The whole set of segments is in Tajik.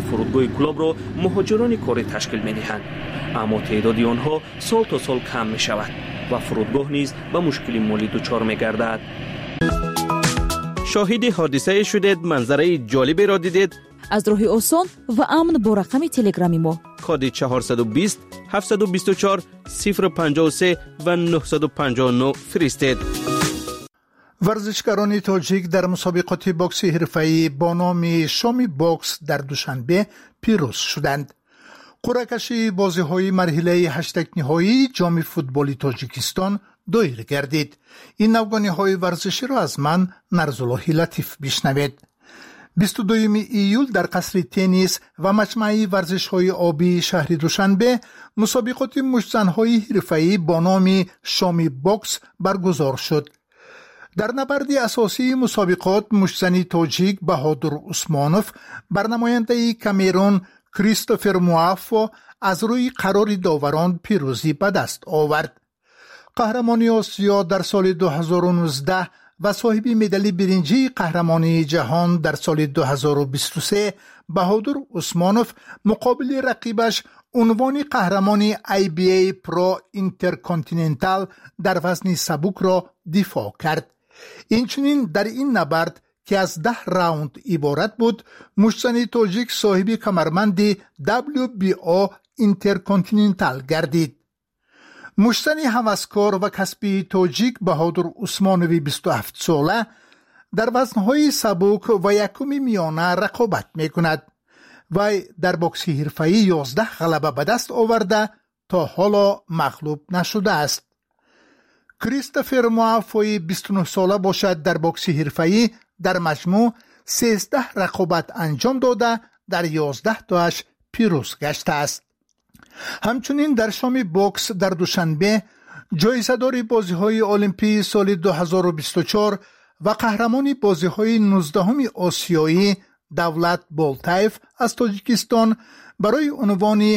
Фурудгоҳи Кӯлобро муҳоҷирони корӣ ташкил медиҳанд, аммо теъдоди онҳо сол то сол кам мешавад ва фурудгоҳ низ ба мушкили молӣ дучор мегардад. Шоҳиди ҳодисае шудед, манзараи ҷолиберо дидед. Аз роҳи осон ва амн бо рақами телеграми мо коди 420 724 053 ва 959 фиристед. Варзишгарони тоҷик дар мусобиқоти бокси ҳирфаӣ бо номи Шоми бокс дар Душанбе пирӯз шуданд. Қуръакашии бозиҳои марҳилаи ҳаштякниҳоии Ҷоми футболи Тоҷикистон доир гардид. Ин навгониҳои варзиширо аз ман, Нарзуллоҳи Латиф, бишнавед. 22 июл дар қасри теннис ва маҷмӯаи варзишҳои обии шаҳри Душанбе мусобиқоти муштзанҳои ҳирфаӣ бо номи Шоми бокс баргузор шуд. Дар набарди асосии мусобиқот муштзани тоҷик Баҳодур Усмонов бар намояндаи Камерун Кристофер Муаффо аз рӯи қарори доварон пирӯзӣ ба даст овард. Қаҳрамони Осиё дар соли 2019 ва соҳиби медали биринҷии қаҳрамонии ҷаҳон дар соли 2023 Баҳодур Усмонов муқобили рақибаш, унвони қаҳрамони IBA Pro Intercontinental дар вазни сабукро дифоъ кард. Инчунин дар ин набард, ки аз 10 раунд иборат буд, муштзани тоҷик соҳиби камарбанди WBO Intercontinental гардид. Муштзани ҳаваскор ва касбии тоҷик Баҳодур Усмонови 27-сола дар вазнҳои сабук ва якуми миёна рақобат мекунад. Вай дар бокси ҳирфаӣ 11 ғалаба ба даст оварда, то ҳоло мағлуб нашудааст. Кристофер Муаффои 29-сола бошад, дар бокси ҳирфаӣ дар маҷмӯъ 13 рақобат анҷом дода, дар 11 тоаш пирӯз гаштааст. Ҳамчунин дар Шоми бокс дар Душанбе ҷоизадори бозиҳои Олимпии соли 2024 ва қаҳрамони бозиҳои 19-уми осиёӣ Давлат Болтаев аз Тоҷикистон барои унвони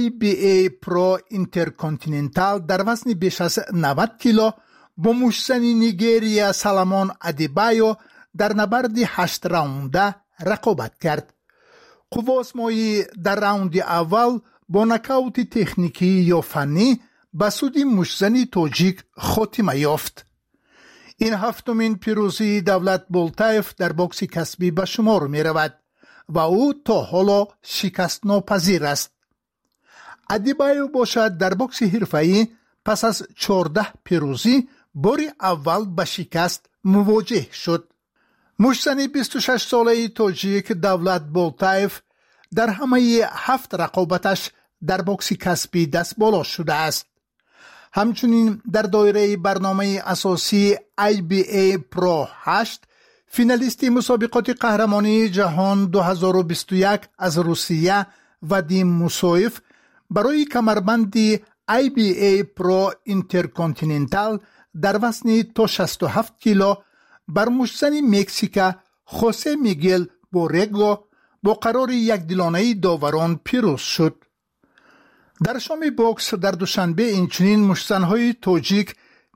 IBA Pro Intercontinental дар вазни беш аз 90 кило бо муштзани Нигерия Саламон Адибайо дар набарди ҳашт-раунда рақобат кард. Қувваозмоӣ дар раунди аввал бо нокаути техникӣ ё фаннӣ ба суди муштзани тоҷик хотима ёфт. Ин ҳафтумин пирӯзии Давлат Болтаев дар бокси касбӣ ба шумор меравад ва ӯ то ҳоло шикастнопазир аст. Адибаев бошад, дар бокси ҳирфаӣ пас аз 14 пирӯзӣ бори аввал ба шикаст мувоҷеҳ шуд. Муштзани 26-солаи тоҷик Давлат Болтаев дар ҳамаи ҳафт рақобаташ дар бокси касбӣ дастболо шудааст. Ҳамчунин дар доираи барномаи асосии IBA Pro 8 финалисти мусобиқоти қаҳрамонии ҷаҳон 2021 аз Русия Вадим Мусоев барои камарбанди IBA Pro Intercontinental дар вазни то 67 кило бар муштзани Мексика Хосе Мигел Борего бо қарори якдилонаи доварон пирӯз шуд. Дар Шоми бокс дар Душанбе инчунин муштзанҳои тоҷик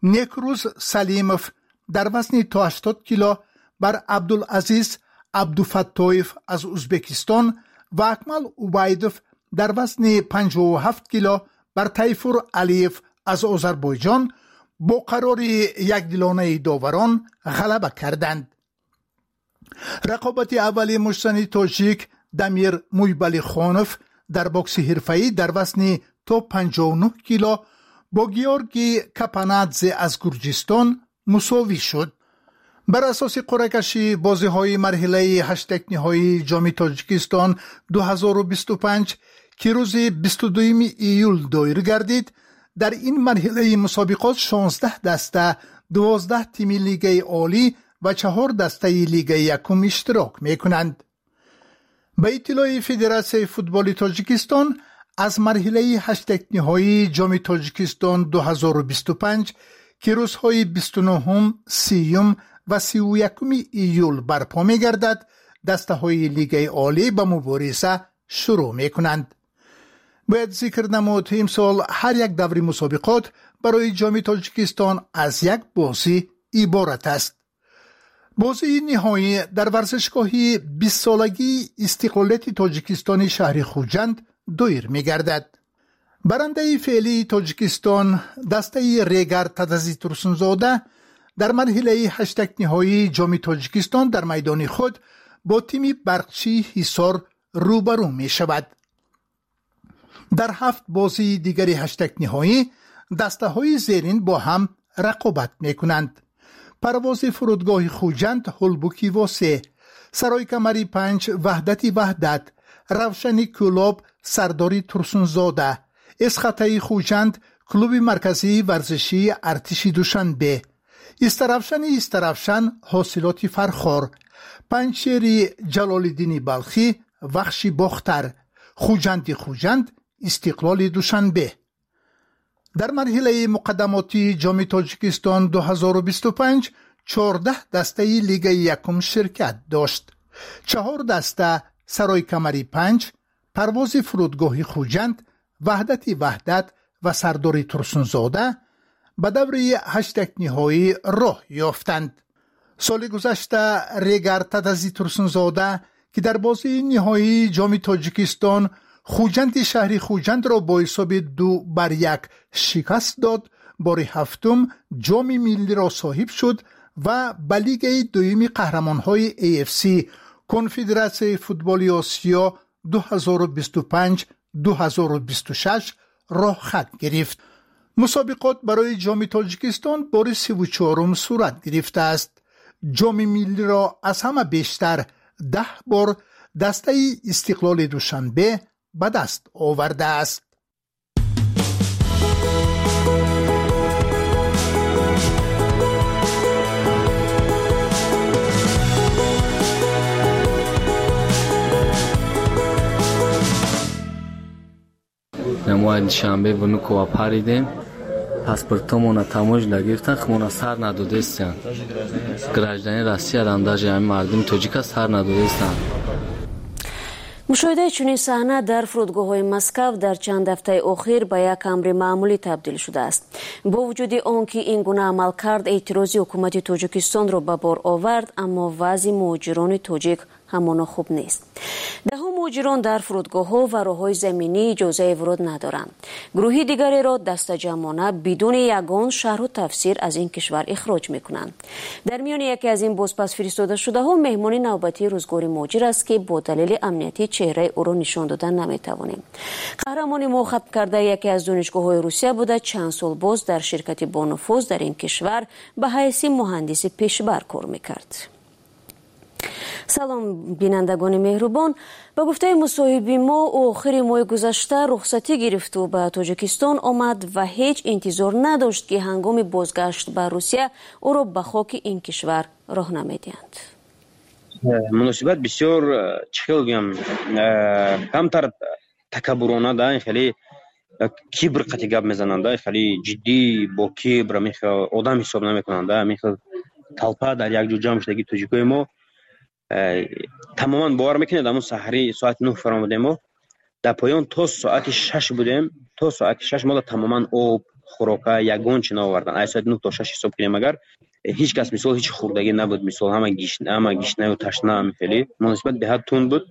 Некрӯз Салимов дар вазни то 80 кило бар Абдулазиз Абдуфаттоев аз Узбекистон ва Акмал Убайдов дар вазни 57 кило бар Тайфур Алиев аз Озарбойҷон бо қарори якдилонаи доварон ғалаба карданд. Рақобати аввали муштзани тоҷик Дамир Муйбалихонов дар бокси ҳирфаӣ дар вазни то 59 кило бо Георгий Капанадзе аз Гурҷистон мусовӣ шуд. Бар асоси қуръакашии бозиҳои марҳилаи ҳаштякниҳоии Ҷоми Тоҷикистон 2025, ки рӯзи 22 июл доир гардид, дар ин марҳилаи мусобиқот 16 даста, 12 тими лигаи олӣ ва чаҳор дастаи лигаи якум иштирок мекунанд. Ба иттилои Федератсияи футболи Тоҷикистон, аз марҳилаи ҳаштякниҳоии Ҷоми Тоҷикистон 2025, ки рӯзҳои 29-ум, 30-юм ва 31-уми июл барпо мегардад, дастаҳои лигаи олӣ ба мубориза шурӯъ мекунанд. Бояд зикр намуд, имсол ҳар як даври мусобиқот барои Ҷоми Тоҷикистон аз як бозӣ иборат аст. Бозии ниҳоӣ дар варзишгоҳи бистсолагии истиқлолияти Тоҷикистони шаҳри Хуҷанд доир мегардад. Барандаи феълии Тоҷикистон, дастаи Регар Тадази Турсунзода, дар марҳилаи ҳаштякниҳоии Ҷоми Тоҷикистон дар майдони худ бо тими Барқчии Ҳисор рӯбарӯ мешавад. Дар ҳафт бозии дигари ҳаштякниҳоӣ дастаҳои зерин бо ҳам рақобат мекунанд: Парвози фурудгоҳи Хуҷанд Ҳулбуки Восе, Саройкамари панҷ Ваҳдати Ваҳдат, Равшани Кӯлоб Сардори Турсунзода, Эсхатаи Хуҷанд клуби марказии варзишии Артиши Душанбе, Истаравшани Истаравшан Ҳосилоти Фархор, Панҷшери Ҷалолиддини Балхӣ Вахши Бохтар, Хуҷанди Хуҷанд Истиқлоли Душанбе. Дар марҳилаи муқаддамотии Ҷоми Тоҷикистон 2025 14 дастаи лигаи якум ширкат дошт. Чаҳор даста, Саройкамари панҷ, Парвози фурудгоҳи Хуҷанд, Ваҳдати Ваҳдат ва Сардори Турсунзода, ба даври ҳаштякниҳоӣ роҳ ёфтанд. Соли гузашта Регар Тадази Турсунзода, ки дар бозии ниҳоии Ҷоми Тоҷикистон Хуҷанди шаҳри Хуҷандро бо ҳисоби 2-1 шикаст дод, бори ҳафтум ҷоми миллиро соҳиб шуд ва ба лигаи дуюми қаҳрамонҳои AFC, Конфедератсияи футболи Осиё 2025-2026 роҳхат гирифт. Мусобиқот барои Ҷоми Тоҷикистон бори 34-ум сурат гирифтааст. Ҷоми миллиро аз ҳама бештар, 10 бор, дастаи Истиқлоли Душанбе ба даст овардааст. Мо Душанбе Внуково паридем, паспортомона таможня гирифтан, хмона сар надодестиян. Гражданин Россиярам даже ҳамин мардуми тоҷика сар надодестиян. Мушоҳидаи чунин саҳна дар фурудгоҳҳои Москав дар чанд ҳафтаи охир ба як амри маъмулӣ табдил шудааст. Бо вуҷуди он ки ин гуна амалкард эътирози ҳукумати Тоҷикистонро ба бор овард, аммо вазъи муҳоҷирони тоҷик ҳамоно хуб нест. Даҳо муҳоҷирон дар фурудгоҳҳо ва роҳҳои заминӣ иҷозаи вуруд надоранд. Гурӯҳи дигареро дастаҷамъона бидуни ягон шарҳу тафсир аз ин кишвар ихроҷ мекунанд. Дар миёни яке аз ин бозпас фиристодашудаҳо меҳмони навбатии рӯзгори муҳоҷир аст, ки бо далели амниятӣ чеҳраи ӯро нишон додан наметавонем. Қаҳрамони мо хатм кардаи яке аз донишгоҳҳои Русия буда, чанд сол боз дар ширкати бонуфуз дар ин кишвар ба ҳайси муҳандиси пешбар кор мекард. Салом, бинандагони меҳрубон. Ба гуфтаи мусоҳиби мо, ӯ охири моҳи гузашта рухсатӣ гирифту ба Тоҷикистон омад ва ҳеҷ интизор надошт, ки ҳангоми бозгашт ба Русия ӯро ба хоки ин кишвар роҳ намедиҳанд. Муносибат бисёр, чӣ хел гӯям, камтар такаббурона да, хеле кибр қати гап мезананд, хеле ҷиддӣ, бо кибр, одам ҳисоб намекунанд. Ҳамин толпа дар як ҷо ҷамъ шудаги тоҷикои мо тамоман бовар мекунед, ҳамун саҳари соати 9 фаромадем, мо дар поён то соати 6 будем. То соати 6 мо тамоман об, хӯрока, ягон чи наовардан. Ай соати 9 то 6 ҳисоб кунем агар, ҳеҷ кас мисол ҳеҷ хӯрдагӣ набуд, мисол ҳама гишнаю ташна. Хеле муносибат беҳад тунд буд.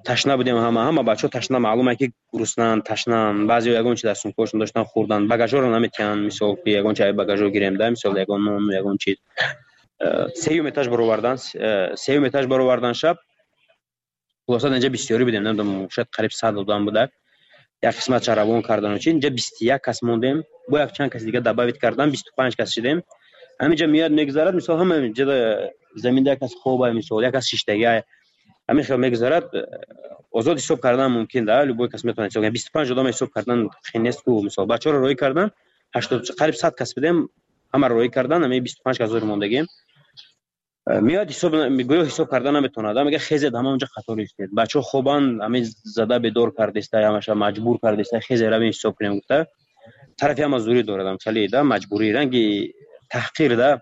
Ташна будем, ҳама бачаҳо ташна, маълум ки гуруснанд, ташнанд. Баъзеҳо ягон чи дар сумкаҳошон доштан, хӯрдан. Багажҳоро наметиҳанд, мисол ки ягон чи ай багажҳо гирем да, мисол ягон нону ягон чиз. Сеюм этаж баровардан шаб. Хулоса, инҷа бисёрӣ будем, намедонам, шояд қариб 100 одам буда. Як қисмат равон кардану чи, инҷа 21 кас мондем, бо як чанд кас дига добавить кардан, 25 кас шудем. Ҳаминҷа меояд, мегузарад, мисол ҳама ҷа заминда як кас хоба, мисол як кас шиштагӣ, ҳамин хел мегузарад. Озод ҳисоб кардан мумкин да, любой кас метавонад ҳисоб кунад. 25 одам ҳисоб кардан хел нест ку. Мисол бачаҳоро роҳӣ кардан, 80, қариб 100 кас будем, ҳамаро роҳӣ кардан, ҳамин 25 кас зур мондагем. Меояд, ҳисоб, гӯё ҳисоб карда наметавонад, мега хезед, ҳама онҷа қатор истед. Бачаҳо хобанд, ҳамин зада бедор кардеста, ҳамаша маҷбур кардеста, хезе, равем ҳисоб кунем гуфта. Тарафи ҳама зӯрӣ дорад, хеле да маҷбурӣ, ранги таҳқир да,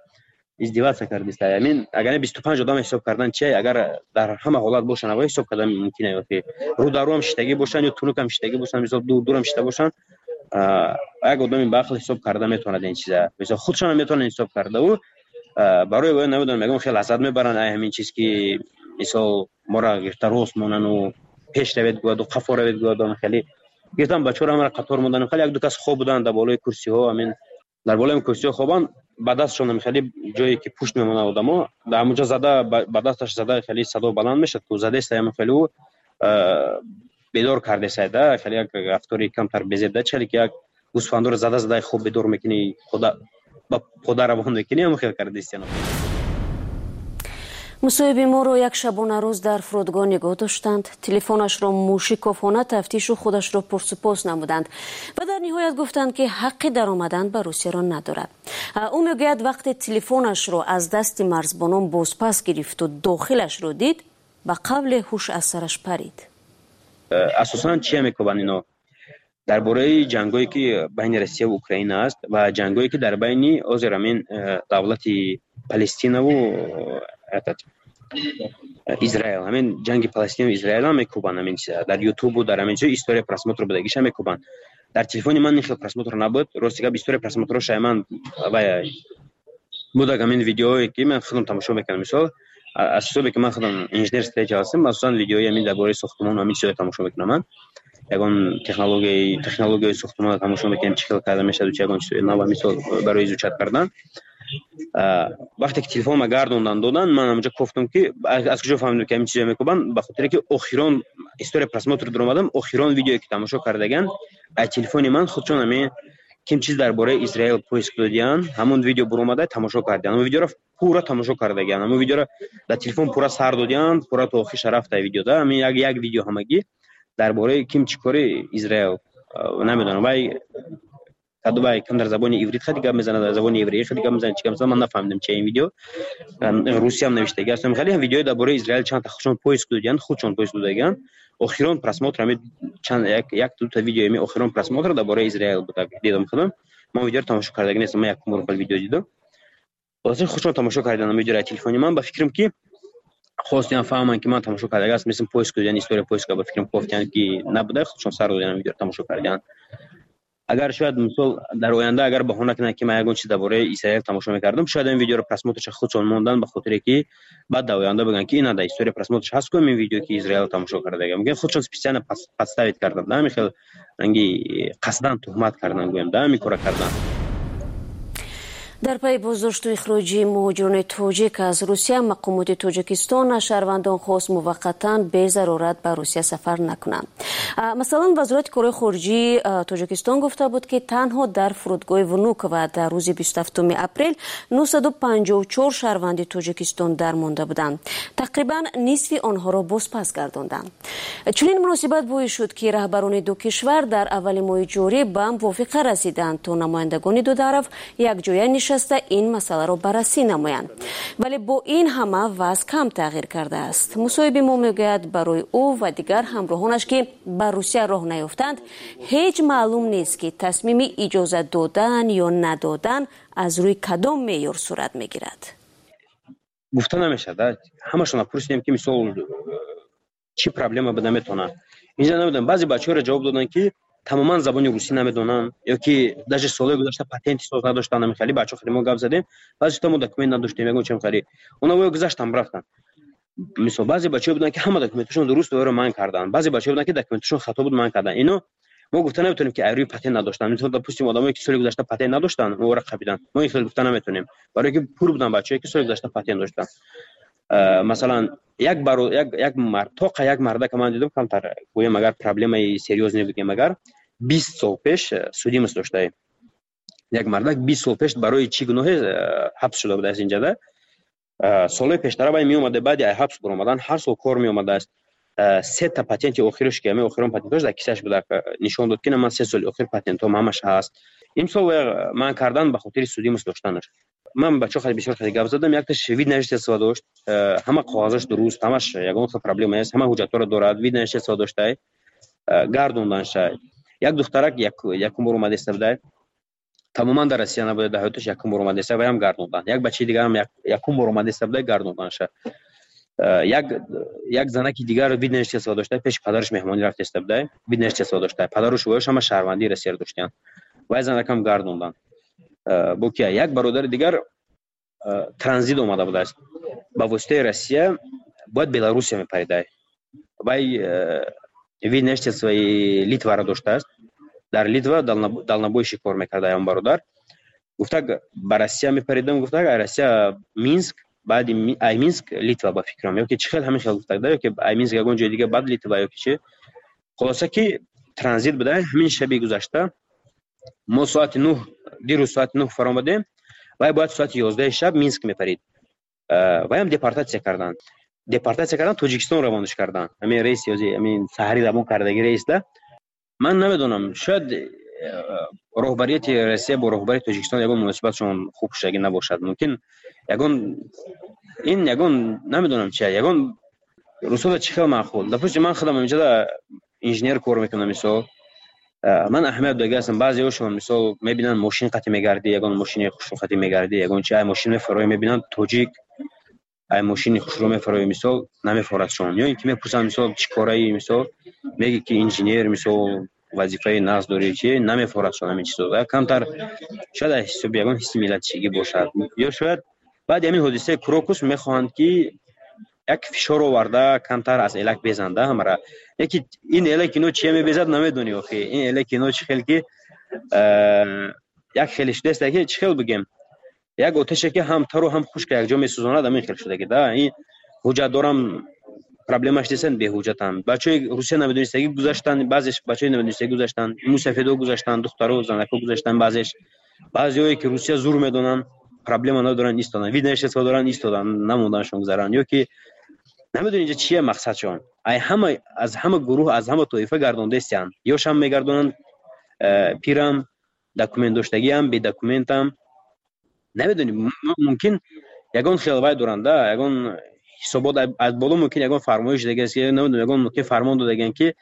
издеваться кардеста. Амин агар 25 одам ҳисоб кардан чи, агар дар ҳама ҳолат бошанд, аввал ҳисоб кардан мумкин ё ки рӯдарӯам шиштагӣ бошанд ё тунукам шиштагӣ бошанд, мисол дур дурам шишта бошанд, як одами баақл ҳисоб карда метавонад ин чиза. Мисол худшонам метавонанд ҳисоб карда. Ӯ Барои вай намедонам, ягон хел лаззат мебаранд ай ҳамин чиз, ки мисол мора гирифта рост монану пеш равед гӯяду қафо равед гӯяду. Хеле гирифтан бачаҳоро, ҳамара қатор мондан. Хеле як ду кас хоб буданд дар болои курсиҳо. Ҳамин дар болои курсиҳо хобанд, ба дастшон хеле ҷое ки пушт мемонад, одамо дар ҳамонҷо зада, ба дасташ зада, хеле садо баланд мешад ку, задеста, хеле ӯ бедор кардесайда. Хеле як рафтори камтар безебда, хеле ки як гӯсфандоро зада зада хоб бедор мекунӣ, ба пода равон мекунӣ, ҳамон хел кардестиано. Мусоҳиби моро як шабонарӯз дар фурудгоҳ нигоҳ доштанд, телефонашро мушикофона тафтишу худашро пурсупос намуданд ва дар ниҳоят гуфтанд, ки ҳаққи даромадан ба Русияро надорад. Ӯ мегӯяд, вақте телефонашро аз дасти марзбонон бозпас гирифту дохилашро дид, ба қавле ҳуш аз сараш парид. Асосан чия мекобанд ино? Дар бораи ҷангое ки байни Россияву Украина аст ва ҷангое ки дар байни ҳозир ҳамин давлати Палестинаву Израил, ҳамин ҷанги Палестинаву Израилам мекӯбанд. Ҳамин дар Ютубу дар ҳамин чиз история просмотр будагиша мекӯбанд. Дар телефони ман ин хел просмотр набуд, рости гап. История просмотрро шайман вай будаг, ҳамин видеое ки ман худам тамошо мекардам. Мисол, аз ҳисобе ки ман худам инженер строитель ҳастам, асосан видеои ҳамин дар бораи сохтмон, ҳамин чизҳоро тамошо мекунам. Ман ягон технологияи сохтмонро тамошо мекунем, чӣ хел карда мешавад, чи ягон чизҳои нав, мисол, барои изучать кардан. Вақте ки телефонма гардондан додан, ман ҳамонҷо кофтам, ки аз куҷо фаҳмидам, ки ҳамин чизо мекӯбанд? Ба хотире ки охирон история просмотр дуромадам, охирон видеое ки тамошо кардаган аз телефони ман, худшон ҳамин ким чиз дар бораи Израил поиск додиян, ҳамон видео буромада, тамошо кардиян. Ҳамон видеоро пурра тамошо кардагиян, ҳамон видеоро дар телефон пурра сар додиян, пурра то охирша рафта видеода. Ҳамин як видео ҳамагӣ дар бораи ким чӣ кори Израил, намедонам, вай кам дар забони иврит хеле гап мезанад, дар забони евреӣ хеле гап мезанад, чӣ гап мезанад, ман нафаҳмидам, чи ин видео русиям навиштаги аст. Хеле видеои дар бораи Израил чанд худшон поиск додиян, худшон поиск додагиян. Охирон просмотр ҳами чанд як дута видео, ами охирон просмотр дар бораи Израил буда, дидам худам. Ман видеоро тамошо кардаги нестам, ман якум бор видео дидам. Хулоса, худшон тамошо карданд видеоро телефони ман. Ба фикрам, ки хостиям фаҳманд, ки ман тамошо кардаги аст, мисли поиск додиян, история поиск, ба фикрам, кофтиян, ки набуда, худшон сар додиян, видеоро тамошо кардиян. Агар шояд, мисол, дар оянда агар баҳона кунанд, ки ман ягон чиз дар бораи Исраил тамошо мекардам, шояд ин видеоро просмотрша худшон мондан, ба хотире ки баъд дар оянда бигӯянд, ки ина дар история просмотрш ҳаст ку ин видео, ки Израил тамошо кардага. Мумкин худшон специально подставить кардан, да, ҳамин хел ранги қасдан туҳмат кардан, гӯем, да, ҳамин кора кардан. Дар пайи боздошту ихроҷи муҳоҷирони тоҷик аз Русия, мақомоти Тоҷикистон аз шаҳрвандон хост муваққатан безарурат ба Русия сафар накунанд. Масалан, Вазорати корҳои хориҷии Тоҷикистон гуфта буд, ки танҳо дар фурудгоҳи Внуково дар рӯзи 27 апрел 954 шаҳрванди Тоҷикистон дармонда буданд, тақрибан нисфи онҳоро бозпас гардонданд. Чунин муносибат боис шуд, ки раҳбарони ду кишвар дар аввали моҳи ҷорӣ ба мувофиқа расиданд, то намояндагони ду тараф якҷоя нишаста ин масъаларо баррасӣ намоянд. Вале бо ин ҳама вазъ кам тағйир кардааст. Мусоҳиби мо мегӯяд, барои ӯ ва дигар ҳамроҳонаш, ки ба Русия роҳ наёфтанд, ҳеҷ маълум нест, ки тасмими иҷозат додан ё надодан аз рӯи кадом меъёр сурат мегирад. Гуфта намешавад. Ҳамашона пурсидем, ки мисол чӣ проблема буда метавонад инҷа, намедонам. Баъзе бачаҳоро ҷавоб доданд, ки тамоман забони русӣ намедонанд ё ки даже солҳои гузашта патенти соз надоштанд. Хеле бачаҳо, хеле мо гап задем, баъзе мо документ надоштем, ягон чем, хеле оно воё гузаштан, рафтанд. Мисол, баъзе бачаҳо буданд, ки ҳама документашон дуруст, воёро манъ карданд. Баъзе бачаҳо буданд, ки документашон хато буд, манъ карданд. Ино мо гуфта наметавонем, ки айрӯи патент надоштанд. Мисол, допустим, одамое ки соли гузашта патент надоштанд, ора қабиданд, мо ин хел гуфта наметавонем, барое ки пур буданд бачаҳое, ки соли гузашта патент доштанд. Масалан, як баро як мард, тоқа як мардака ман дидам, камтар гӯем, агар проблемаи серьёзный бигем, агар 20 сол пеш судимость доштаем, як мардак 20 сол пеш барои чӣ гуноҳе ҳабс шуда будааст инҷада. Солҳои пештара вай меомада, баъди ҳабс баромадан ҳар сол кор меомадааст. Сета патенти охирш, ки ҳамин охирон патентош дар кисаш буда, нишон дод, ки на, ман 3 соли охир патентом ҳамаш ҳаст. Имсол вай манъ кардан ба хотири судимость доштанаш. Ман бачаҳо хеле бисёр хеле гап задам. Якташ вид на жительство дошт, ҳама коғазаш дуруст, ҳамаш, ягон хел проблема нест, ҳама ҳуҷҷатҳоро дорад, вид на жительство доштай, гардонданшай. Як духтарак якум бор омадеста будай, тамоман дар Россия набуда, дар ҳаёташ якум бор омадеста, ваям гардондан. Як бачаи дигарам якум бор омадеста будай, гардонданша. Як занаки дигар вид на жительство дошта, пеши падараш меҳмонӣ рафтеста будай, вид на жительство дошта, падару шувояш ҳама шаҳрвандии Россияро доштиянд, вай занакам гардондан. Бо кия, як бародари дигар Транзит омада будааст, ба воситаи Россия бояд Беларусия мепаридай. Вай вид на жительствои Литваро доштааст, дар Литва дальнобойщик кор мекарда. Он бародар гуфтак, ба Россия мепаридам, гуфтак, ай Россия Минск, баъди ай Минск Литва, ба фикрам, ёки чӣ хел, ҳамин хел гуфтак да, ёки ай Минск ягон ҷои дига, баъд Литва, ёки чи. Хулоса ки транзит буда. Ҳамин шаби гузашта мо соати 9, дирӯз соати 9 фаромадем, вай бояд соати 11-и шаб Минск мепарид. Ваям депортатсия карданд, депортатсия кардан, Тоҷикистон равонаш карданд. Ҳамин рейс ёзи ҳамин саҳари равон кардаги рейс да. Ман намедонам, шояд роҳбарияти Россия бо роҳбарияти Тоҷикистон ягон муносибатшон хуб шудагӣ набошад. Мумкин ягон ин ягон, намедонам чи, ягон русода чӣ хел маъқул. Допустим, ман худам инҷода инженер кор мекунам, мисол, ман аҳамият додагӣ ҳастам. Баъзеҳошон, мисол, мебинанд, мошин қатӣ мегардӣ, ягон мошини хушрӯ қатӣ мегардӣ, ягон чи, ай мошин мефароӣ, мебинанд, тоҷик ай мошини хушрӯ мефароӣ, мисол, намефорадшон. Ё ин ки мепурсанд, мисол, чӣ кораи, мисол, меги ки инженер, мисол, вазифаи нағз дорӣ, чи намефорадшон ҳамин чизо. Камтар шояд аз ҳисоби ягон ҳисси миллатчигӣ бошад, ё шояд баъди ҳамин ҳодисаи Крокус мехоҳанд ки як фишор оварда, камтар аз элак безанда ҳамара. Яки ин элак ино чия мебезад, намедонӣ охи. Ин элак ино чӣ хел ки як хеле шудааст, ки чӣ хел бигем, як оташе ки ҳам тару ҳам хушка якҷо месӯзонад, ҳамин хел шудаги да. Ин ҳуҷҷат дорам, проблемаш нестан, беҳуҷҷатам. Бачаҳои Русия намедонистагӣ гузаштанд, баъзеш бачаҳои намедонистагӣ гузаштанд, мусафедо гузаштанд, духтаро, занако гузаштанд, баъзеш. Баъзеҳое ки Русия зур медонанд, проблема надоранд, истоданд, вид на жительство доранд, истоданд, намонданшон гузаранд. Ё ки намедонӣ инҷа чия мақсадшон. Ай ҳама, аз ҳама гурӯҳ, аз ҳама тоифа гардондаистиянд. Ёшам мегардонанд, пирам, документ доштагиам, бедокументам. Намедонӣ, мумкин ягон хел вай доранд, да, ягон ҳисобот аз боло, мумкин ягон фармоиш дагааст, намедонам, ягон мумкин фармон додаган ки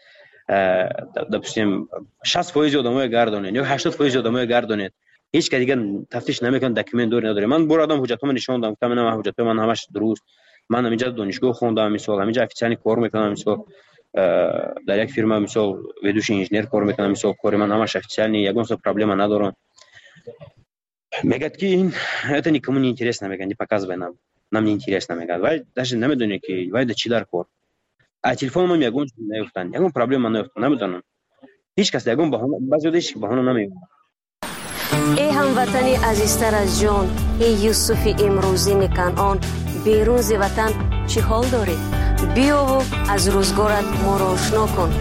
допустим, 60% одамоя гардонед ё 80% одамоя гардонед. Ҳеҷ кас дигар тафтиш намекунад, документ дори, надори. Ман бор одам ҳуҷҷатҳоро нишон додам, гуфтам, ина ҳуҷҷатҳои ман ҳамаш дуруст. Ман ҳаминҷа донишгоҳ хондам, мисол, ҳаминҷа официально кор мекунам, мисол, дар як фирма, мисол, ведущий инженер кор мекунам, мисол, кори ман ҳамаш официально, ягон хел проблема надорам. Мегӯяд ки ин это никому не интересно, мегӯяд, не показывай нам, нам не интересно, мегӯяд. Вай даже намедонед ки вай да чӣ дар кор. А телефономам ягон чиз наёфтанд, ягон проблема наёфтанд, намедонам. Ҳеҷ кас ягон баҳона, баъзеҳо ҳеҷ баҳона намеёбанд. Эй ҳамватани азизтар аз ҷон, эй Юсуфи имрӯзини Канъон, берун зи ватан чӣ ҳол дорӣ? Биёву аз рӯзгорат моро ошно кун.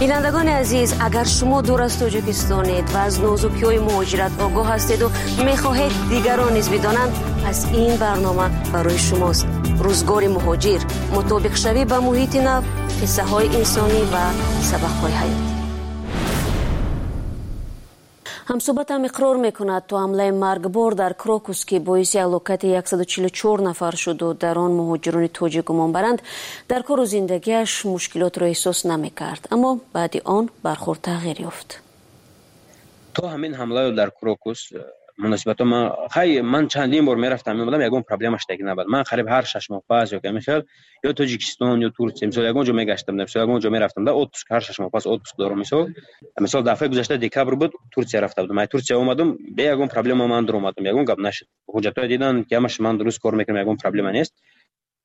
Бинандагони азиз, агар шумо дур аз Тоҷикистонед ва аз нозукиҳои муҳоҷират огоҳ ҳастеду мехоҳед дигарон низ бидонанд, пас ин барнома барои шумост. Рӯзгори муҳоҷир, мутобиқшавӣ ба муҳити нав, қиссаҳои инсонӣ ва сабақҳои ҳаёт. Ҳамсӯҳбатам иқрор мекунад, то ҳамлаи маргбор дар Крокус, ки боиси ҳалокати 144 нафар шуду дар он муҳоҷирони тоҷик гумон баранд, дар кору зиндагиаш мушкилотро эҳсос намекард, аммо баъди он бархӯрд тағйир ёфт. То ҳамин ҳамлаё дар Крокус муносибатҳо ман, хай, ман чандин бор мерафтам, меомадам, ягон проблема шудаги набуд. Ман қариб ҳар 6 моҳ пас ё ҳамин хел ё Тоҷикистон, ё Турсия, мисол, ягон ҷо мегаштам, мисол, ягон ҷо мерафтам да отпуск, ҳар 6 моҳ пас отпуск дорам. Мисол, дафъаи гузашта декабр буд, Турсия рафта будам, ай Турсия омадам, бе ягон проблема ман дуромадам, ягон гап нашуд. Ҳуҷҷатҳое дидан ки ҳамаш ман дуруст кор мекунам, ягон проблема нест,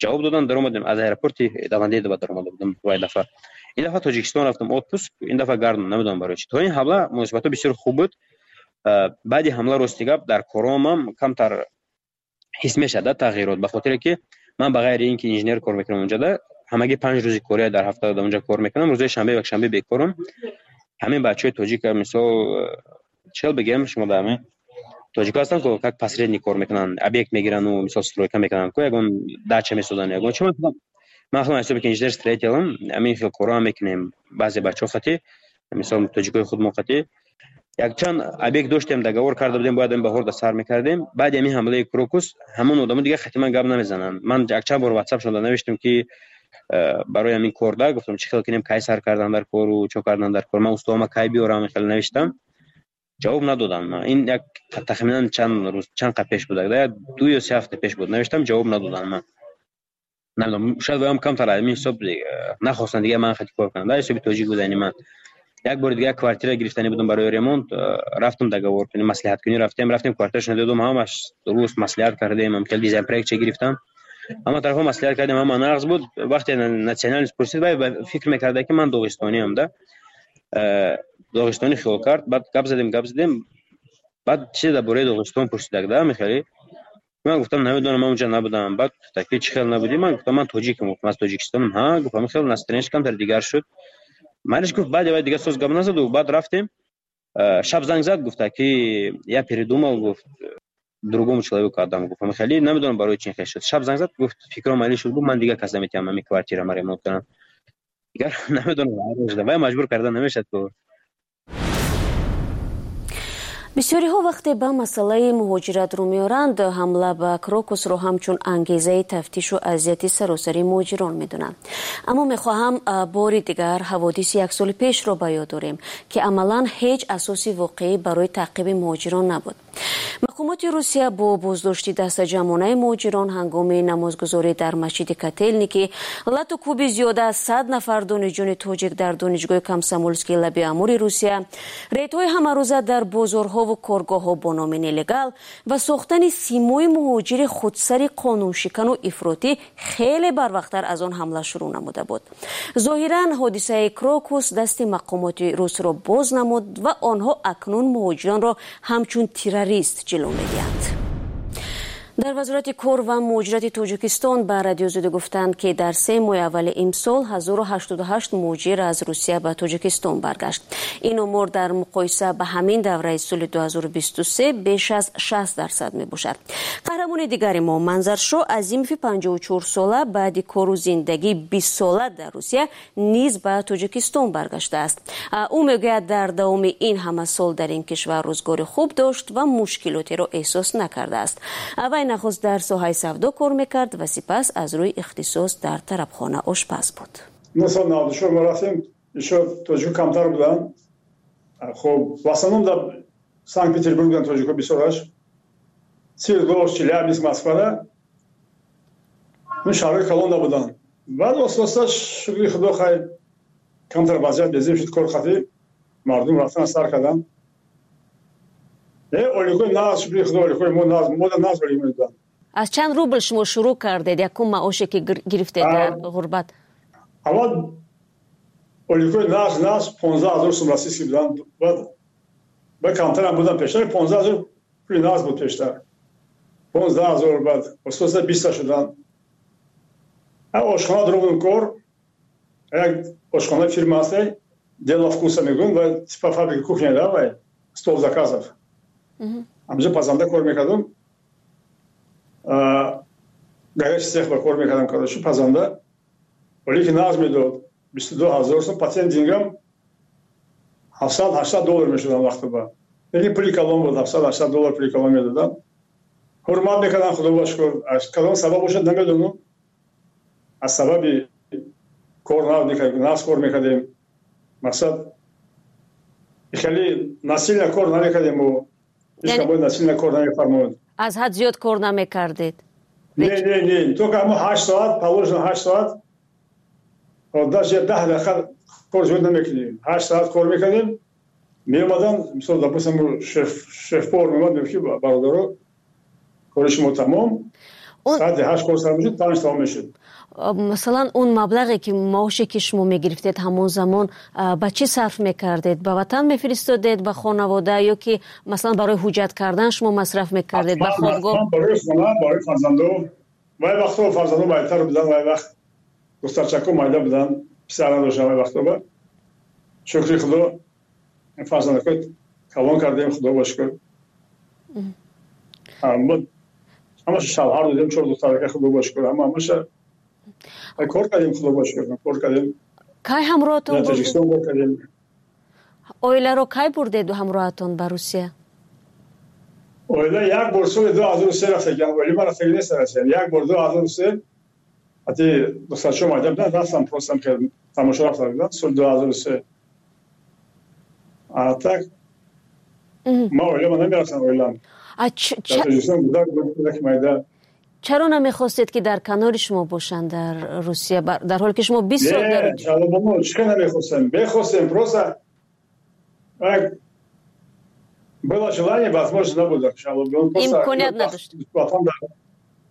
ҷавоб додан, даромадем. Аз аэропорти Домодедово даромада будам вай дафъа. Ин дафъа Тоҷикистон рафтам отпуск, ин дафъа гардам, намедонам барои чӣ. То ин ҳамла муносибатҳо бисёр хуб буд. Баъди ҳамла, рости гап, дар коромам камтар ҳис мешавад да тағйирот, ба хотире ки ман ба ғайри ин ки инженер кор мекунам, унҷода ҳамагӣ 5 рӯзи кория дар ҳафта дар унҷа кор мекунам, рӯзои шанбе, якшанбе бекорам. Ҳамин бачаҳои тоҷика, мисол, чӣ бигем, шумо да ҳамин тоҷико ҳастанд, ко как посредник кор мекунанд, объект мегирану, мисол, стройка мекунанд, ко ягон дача месозанд, ягон чи. Ман худам ҳисоби ки инженер строителам, ҳамин хел корҳоам мекунем. Баъзе бачаҳо хати, мисол, тоҷикои худмо хати якчанд объект доштем, договор карда будем, бояд ин баҳор да сар мекардем. Баъди ҳамин ҳамлаи Крокус ҳамон одамо дигар хати ман гап намезананд. Ман якчанд бор ватсапшонда навиштам ки барои ҳамин кор да гуфтам, чӣ хел кунем, кай сар кардан дар кору чо кардан дар кор, ман устоама кай биёрам, хеле навиштам, ҷавоб надодам. Ин як тахминан чанд рӯз, чанд қа пеш буд, 2 ё 3 ҳафта пеш буд, навиштам, ҷавоб надодам. Ман намедонам, шояд ваям камтар ҳамин ҳисоб нахостанд дигар ман хати кор кунам да ҳисоби тоҷик будани ман. Як бори дига квартира гирифтанӣ будам барои ремонт, рафтам договор кунем, маслиҳаткунӣ рафтем, квартирашро додум, ҳамаш дуруст маслиҳат кардем, хел дизайн-проектча гирифтам, ҳама тарафа маслиҳат кардем, ҳама нағз буд. Вақте национальность пурсид, вай фикр мекарда, ки ман доғистониам да, доғистонӣ хиёл кард. Баъд гап задем, баъд чизе дар бораи Доғистон пурсидак да, мехелӣ. Ман гуфтам, намедонам, ман унҷа набудам. Баъд гуфта, ки чӣ хел набудӣ? Ман гуфтам, ман тоҷикам, гуфтам, аз Тоҷикистонам. Ҳа, гуфт, ҳамин хел настроение ш камтар дигар шуд. Манаш, гуфт, баъд вай дигар соз гап назаду баъд рафтем. Шаб занг зад, гуфта, ки я передумал, гуфт, другому человеку отдам, гуфт. Ҳамин хеле намедонам барои чӣ хел шуд. Шаб занг зад, гуфт, фикрам али шуд, гуфт, ман дигар кас наметиҳам ҳамин квартира ма ремонт кунам. Дигар намедонам, вай маҷбур карда намешад ку. Бисёриҳо вақте ба масъалаи муҳоҷират рӯ меоранд, ҳамла ба Крокусро ҳамчун ангезаи тафтишу азияти саросари муҳоҷирон медонанд. Аммо мехоҳам бори дигар ҳаводиси як соли пешро ба ёд дорем, ки амалан ҳеҷ асоси воқеӣ барои таъқиби муҳоҷирон набуд. Мақомоти Русия бо боздошти дастаҷамъонаи муҳоҷирон ҳангоми намозгузорӣ дар масҷиди Котелники, лату кӯби зиёда аз 100 нафар донишҷӯни тоҷик дар донишгоҳи Комсомолскии лаби Амури Русия, рейдҳои ҳамарӯза дар бозорҳову коргоҳҳо бо номи нелегал ва сохтани симои муҳоҷири худсари қонуншикану ифротӣ хеле барвақттар аз он ҳамла шурӯъ намуда буд. Зоҳиран, ҳодисаи Крокус дасти мақомоти русро боз намуд ва онҳо акнун муҳоҷиронро ҳамчун террорист ҷило медиҳанд. Дар Вазорати кор ва муҳоҷирати Тоҷикистон ба Радиои Озодӣ гуфтанд, ки дар 3 моҳи аввали имсол 1088 муҳоҷир аз Русия ба Тоҷикистон баргашт. Ин омор дар муқоиса ба ҳамин давраи соли 2023 беш аз 60% мебошад. Қаҳрамони дигари мо, Манзаршо Азимови 54 сола, баъди кору зиндагии 20 сола дар Русия низ ба Тоҷикистон баргаштааст. Ӯ мегӯяд, дар давоми ин ҳама сол дар ин кишвар рӯзгори хуб дошт ва мушкилотеро эҳсос накардааст. Вай нахуст дар соҳаи савдо кор мекард ва сипас аз рӯи ихтисос дар тарабхона ошпаз буд. 1994 мо рафтем, ишо тоҷико камтар буданд. Хоб, в основном дар Санкт Петербург буданд тоҷико бисёраш. Свердловск, Челябинск, Москвада. Ин шаҳрҳои калонда буданд. Баъд оста-оста, шукри Худо, хай, камтар вазъият безеб шуд, кор қатӣ мардум рафтан сар карданд. Оликои нағз, шукри Худо, оликои мо нағз, мода нағз олик медоданд. Аз чанд рубл шумо шурӯъ кардед, якум маоше ки гирифтед дар ғурбат? Аввал оликои нағз 15 000 сум российский буданд. Баъд камтарам буданд пештар, 15 000 пули нағз буд пештар. 15 000, баъд оста-оста 20 шуданд. Ошхона дурӯғ кор, як ошхонаи фирма ҳасте, «Дело вкуса» мегӯем, ва типа фабрика кухня да, вай стол заказов. Ҳамҷо пазанда кор мекардам, горячий цех ба кор мекардам, короче, пазанда. Вале ки нағз медод, 22 000 сум, по тем деньгам 700-800 доллар мешудам вақто ба. Лекин пули калон буд, 700-800 доллар пули калон медодам. Ҳурмат мекардам, Худо ба шукр. Аз кадом сабаб бошад, намедонам. Аз сабаби кор нағз кор мекардем. Мақсад, хеле насильно кор намекардем мо. Ҳеҷ кас насильно кор намефармояд. Аз ҳад зиёд кор намекардед? Не, не, не, только ҳамо 8 соат, положено 8 соат, даже 10 дақиқа кор зиёд намекунем. 8 соат кор мекардем, меомадан, мисол, допустим, шеф-повар меомад, мегуфт, ки бародаро, кори шумо тамом. Соати 8 кор сар мешуд, 5 тамом мешуд. Масалан, он маблағе ки, маоше ки шумо мегирифтед ҳамон замон, ба чӣ сарф мекардед? Ба ватан мефиристодед, ба хонавода, ё ки масалан барои ҳуҷҷат кардан шумо масраф мекардед, ба хобгоҳ? Барои хона, барои фарзандо. Вай вақтҳо фарзандо майтар буданд, вай вақт духтарчако майда буданд, писар надоштам вай вақтҳо. Ба шукри Худо, фарзандако калон кардем, Худо ба шукр. Ҳамаша шавҳар додем, чор духтарака, Худо ба шукр, ҳамаша кор кардем, Худо ба шукр, кор кардем. Кай ҳамроҳатон? Тоҷикистон кор кардем. Оиларо кай бурдеду ҳамроҳатон ба Русия? Оила як бор соли 2003 рафтагиам. Оила ман рафтаги нест Россия. Як бор 2003 ҳати духтарчо майда буданд, рафтам, просто тамошо рафта будам соли 2003. А так ма оила намерафтам, оилам дар Тоҷикистон буда, майда. Чаро намехостед, ки дар канори шумо бошанд дар Русия, дар ҳоле ки шумо 20 сол дар Чӣ намехостем? Мехостем, просто Было желание, возможно, набуд. Имконият надошт.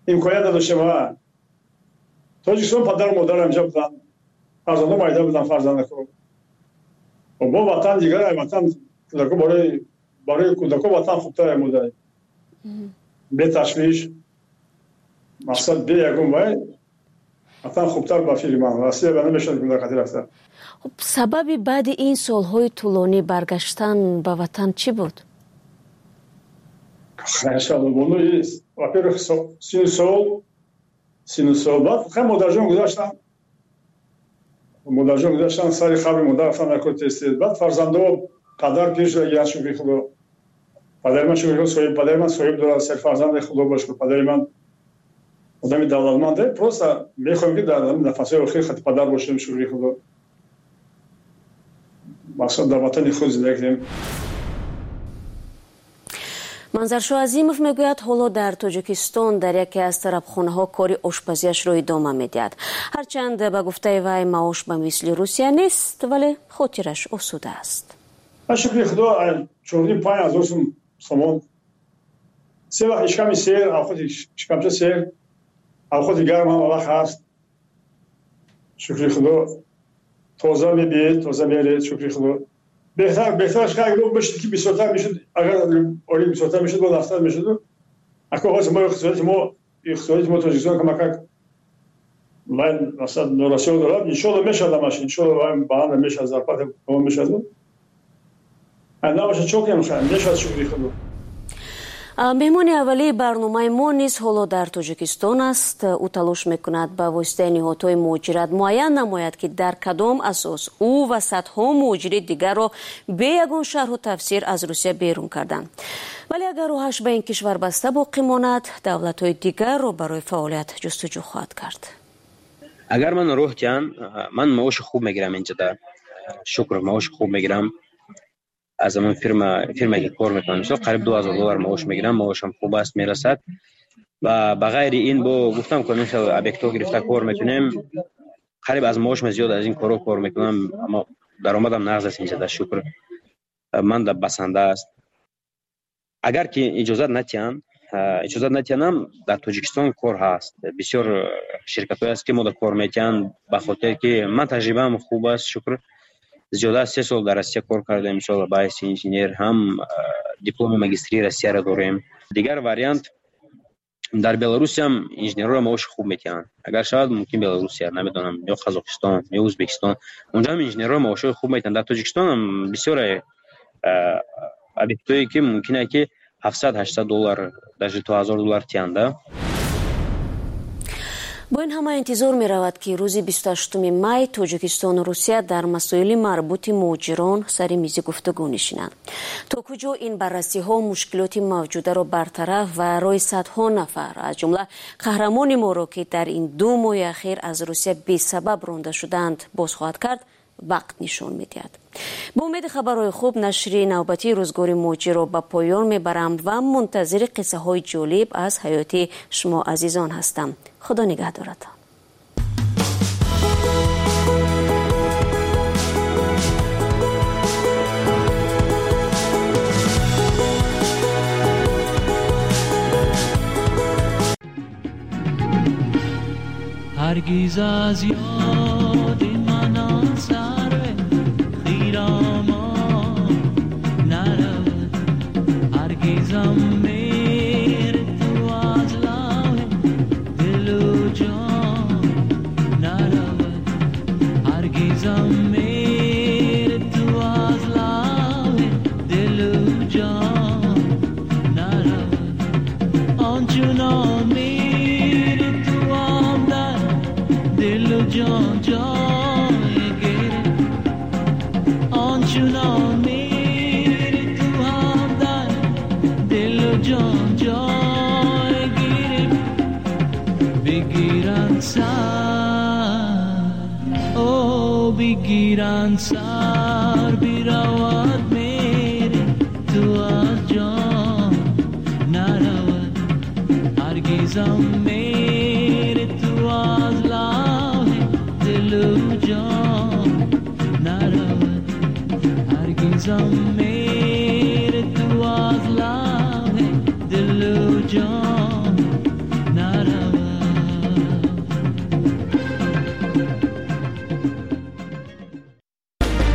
Имконият надоштем. Тоҷикистон падару модарам инҷа буданд, фарзандо майда буданд, фарзандако. Бо ватан дигар, ватан кӯдако барои кӯдако ватан хубтар мудай. Бе ташвиш, мақсад бе ягон вай, ватан хубтар ба фикри ман. Россия ба намешавад кӯдакати рафта. Хуб, сабаби баъди ин солҳои тӯлонӣ баргаштан ба ватан чӣ буд? Во-первых, сину сол. Баъд хай модарҷон гузаштан. Модарҷон гузаштан, сари қабри модар рафтан накор тез-тез. Баъд фарзандо падар пир шуда гиян, шукри Худо. Падари ман шукри Худо соҳиб, падари ман соҳиб дорад, се фарзанди Худо ба шукр. Падари ман одами давлатманде. Просто мехоҳем ки дар нафасҳои охир хати падар бошем, шукри Худо. Мақсад дар ватани худ зиндагӣ кунем. Манзаршоҳ Азимов мегӯяд, ҳоло дар Тоҷикистон дар яке аз тарабхонаҳо кори ошпазиашро идома медиҳад. Ҳарчанд ба гуфтаи вай маош ба мисли Русия нест, вале хотираш осуда аст. Шукри Худо, 4-5 ҳазор сомон. Се вақт ишками сер, авқоти шикамча сер, авқоти гарм ҳама вақт ҳаст. Шукри Худо, тоза мебиед, тоза меред, шукри Худо. Беҳтараш агар мешуд ки бисёртар мешуд, агар олӣ бисёртар мешуд, бо нафтар мешуд. Ако ҳозир мо иқтисодияти мо Тоҷикистон камакак ман масалан норасиё дорад, иншоалло мешавад ҳамаш, иншоалло баланд мешавад, зарплата мешавад. Набошад чо кунем, мешавад, шукри Худо. Меҳмони аввалии барномаи мо низ ҳоло дар Тоҷикистон аст. Ӯ талош мекунад ба воситаи ниҳодҳои муҳоҷират муайян намояд, ки дар кадом асос ӯ ва садҳо муҳоҷири дигарро бе ягон шарҳу тафсир аз Русия берун карданд. Вале агар роҳаш ба ин кишвар баста боқӣ монад, давлатҳои дигарро барои фаъолият ҷустуҷӯ хоҳад кард. Агар ман роҳ диҳам, ман маоши хуб мегирам инҷода. Шукр, маоши хуб мегирам. Аз ҳамон фирма ки кор мекунам, мисол қариб $2000 маош мегирам, маошам хуб аст, мерасад. Ва ба ғайри ин бо гуфтам ки хел объектҳо гирифта кор мекунем, қариб аз маошам зиёд аз ин корҳо кор мекунам, аммо даромадам нағз аст инҷода, шукр. Ман да басанда аст. Агар ки иҷозат натиҳанд, дар Тоҷикистон кор ҳаст. Бисёр ширкатҳое аст ки мо да кор метиҳанд, ба хотире ки ман таҷрибаам хуб аст, шукр. Зиёда аз 3 сол дар Россия кор кардем, мисол ба ҳайси инженер, ҳам дипломи магистрии Россияро дорем. Дигар вариант дар Беларусиям инженерҳоро маоши хуб метиҳанд. Агар шавад мумкин Беларусия, намедонам, ё Қазоқистон, ё Ӯзбекистон. Онҷо ҳам инженерҳоро маошҳои хуб метиҳанд. Дар Тоҷикистон ҳам бисёре объектҳое ки мумкин аст ки $700-800, даже то $1000 тиҳанд. Бо ин ҳама интизор меравад, ки рӯзи 28 май Тоҷикистону Русия дар масоили марбути муҳоҷирон сари мизи гуфтугӯ нишинанд. То куҷо ин баррасиҳо мушкилоти мавҷударо бартараф ва роҳи садҳо нафар, аз ҷумла қаҳрамони моро, ки дар ин 2 моҳи ахир аз Русия бесабаб ронда шудаанд, боз хоҳад кард, вақт нишон медиҳад. Бо умеди хабарҳои хуб нашри навбатии рӯзгори муҳоҷирро ба поён мебарам ва мунтазири қиссаҳои ҷолиб аз ҳаёти шумо азизон ҳастам. Худо нигаҳдоратон. ҳаргиз аз ёди ман он сарве хиромон наравад, ҳаргизам меҳри ту аз лавҳи дилу ҷон наравад, ҳаргизам меҳри ту аз лавҳи дилу ҷон наравад, ончунон меҳри ту ҳам дар дилу ҷон ҷой гирифт, ончунон меҳри ту ҳам дар дилу ҷон ҷой гирифт, бигиранд сар, о бигиранд сар, биравад меҳри ту аз ҷон наравад, ҳаргизам меҳри ту аз лавҳи дилу ҷон наравад, ҳаргизам Azizam mere tu az love दिल जान।